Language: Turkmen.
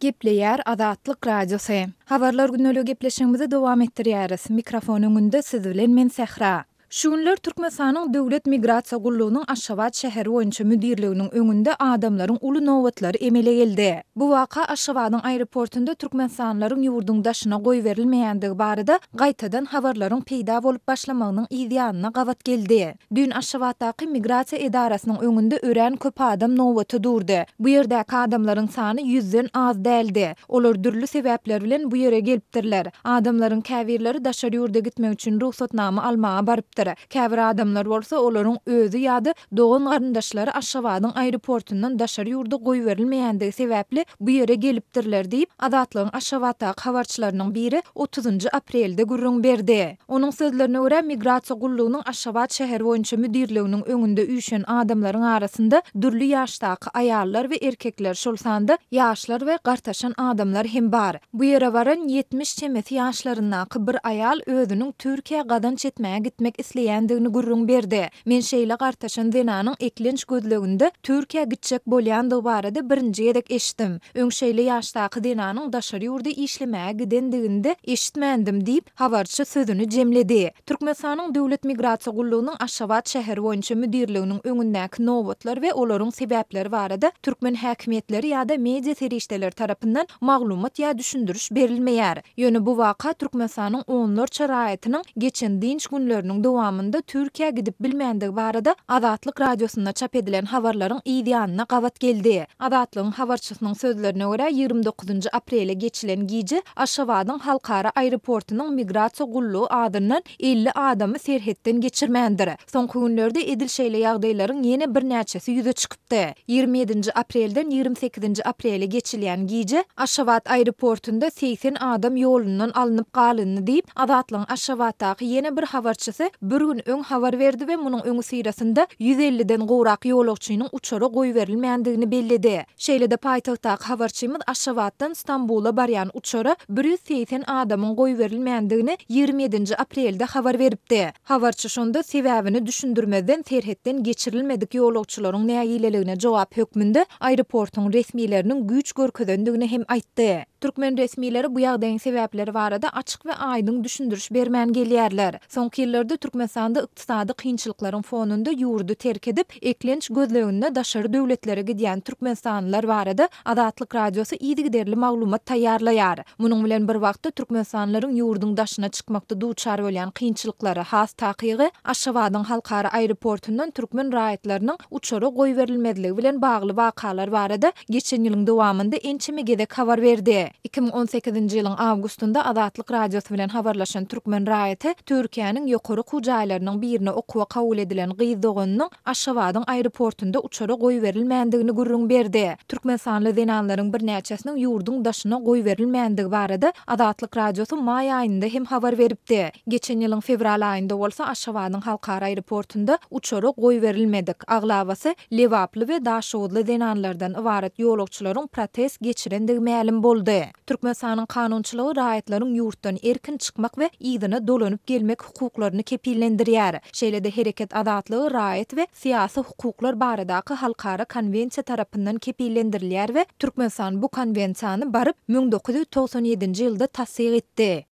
Gepleýär Azatlyk Radiosy. Habarlar gündeliği gepleşigimizi dowam etdirýäris. Mikrofon öňünde siz bilen men Sähra. Şu günler Türkmenistanyň Döwlet migrasiýa gullugynyň Aşgabat şäheri boýunça müdirliginiň öňünde adamlaryň uly nobatlary emele geldi. Bu waka Aşgabadyň aeroportunda türkmenistanlylaryň ýurduň daşyna goýberilmeýändigi barada gaýtadan habarlaryň peýda bolup başlamagynyň yzýanyna gabat geldi. Düýn Aşgabatdaky migrasiýa edarasynyň öňünde örän köp adam nobata durdy. Bu ýerdäki adamlaryň sany ýüzden az däldi. Olar dürli sebäpler bilen bu ýere gelipdirler. Adamlaryň käbirleri daşary ýurda gitmek üçin rugsatnama almaga barypdyr. Käbir adamlar bolsa olaryň özi ýa-da dogan-garyndaşlary Aşgabadyň aeroportundan daşary ýurda goýberilmeýändigi sebäpli bu ýere gelipdirler diýip, Azatlygyň Aşgabatdaky habarçylarynyň biri otuzynjy aprelde gürrüň berdi. Onuň sözlerine görä, Migrasiýa gullugynyň Aşgabat şäheri boýunça müdirliginiň öňünde üýşen adamlaryň arasynda dürli ýaşdaky aýallar we erkekler, şol sanda ýaşlar we gartaşan adamlar hem bar. Bu ýere baran 70 çemesi ýaşlaryndaky bir aýal özüniň Türkiýä gazanç etmäge gitmek isleýändigini gürrüň berdi. Men şeýle gartaşan zenanyň eklenç gözleginde Türkiýä gitjek bolýandygy barada birinji gezek eşitdim. Öň şeýle ýaşdaky zenanyň daşary ýurda işlemäge gidendigini-de eşitmändim diýip, habarçy sözüni jemledi. Türkmenistanyň Döwlet migrasiýa gullugynyň Aşgabat şäheri boýunça müdirliginiň öňündäki nobatlar we olaryň sebäpleri barada türkmen häkimiýetleri ýa-da media serişdeleri tarapyndan maglumat ýa düşündiriş berilmeýär. Ýöne bu waka Türkmenistanyň onlarça raýatynyň geçen dynç günleriniň dowamynda Türkiýä gidip bilmändigi barada Azatlyk Radiosynda çap edilen habarlaryň yz ýanyna gabat geldi. Azatlygyň habarçysynyň sözlerine görä, 29-njy aprele geçilen gije Aşgabadyň halkara aeroportunyň migrasiýa gullugy azyndan 50 adamy serhetden geçirmändir. Soňky günlerde edil şeýle ýagdaýlaryň ýene birnäçesi ýüze çykypdy. 27-nji aprelden 28-nji aprele geçilýän gije Aşgabat aeroportunda 80 adam ýolundan alnyp galyndy diýip, Azatlygyň Aşgabatdaky ýene bir habarçysy bir gün öň habar berdi we munuň öňüsyrasynda 150-den gowrak ýolagçynyň uçara goýberilmändigini belledi. Şeýle-de paýtagtdaky habarçymyz Aşgabatdan Stambula barýan uçara 180 adamyň goýberilmändigini 27-nji aprelde habar beripdi. Habarçy şonda sebäbini düşündirmezden serhetden geçirilmedik ýolagçylaryň nägileligine jogap hökmünde aeroportuň resmileriniň güýç görkezendigini hem aýtdy. Türkmen resmileri bu ýagdaýyň sebäpleri barada açyk we aýdyň düşündiriş bermän gelýärler. Soňky ýyllarda Türkmenistanda ykdysady kynçylyklaryň fonunda ýurdy terk edip, eklenç gözleginde daşary döwletlere gidýän türkmenistanlylar barada Azatlyk Radiosy yzygiderli maglumat taýýarlaýar. Munuň bilen bir wagtda türkmenistanlylaryň ýurduň daşyna çykmakda duçar bolýan kynçylyklary, has takygy, Aşgabadyň halkara aeroportundan türkmen raýatlarynyň uçara goýberilmezligi bilen bagly wakalar barada geçen ýylyň dowamynda ençeme gezek habar berdi. 2018-nji ýylyň awgustynda Azatlyk Radiosy bilen habarlaşan türkmen raýaty Türkiýäniň ýokary okuw jaýlarynyň birine okuwa kabul edilen gyz doganynyň Aşgabadyň aeroportunda uçara goýberilmändigini gürrüň berdi. Türkmenistanly zenanlaryň birnäçesiniň ýurduň daşyna goýberilmändigi barada Azatlyk Radiosy maý aýynda hem habar beripdi. Geçen ýylyň fewral aýynda bolsa Aşgabadyň halkara aeroportunda uçara goýberilmedik, aglabasy lebaply we daşoguzly zenanlardan ybarat ýolagçylaryň protest geçirendigi mälim boldy. Türkmenistanyň kanunçylygy raýatlaryň ýurtdan erkin çykmak we yzyna dolanyp gelmek hukuklaryny kepillendirýär. Şeýle-de hereket azatlygy raýat we syýasy hukuklar baradaky halkara konwensiýa tarapyndan kepillendirilýär we Türkmenistan bu konwensiýany baryp 1997-nji ýylda tassyk etdi.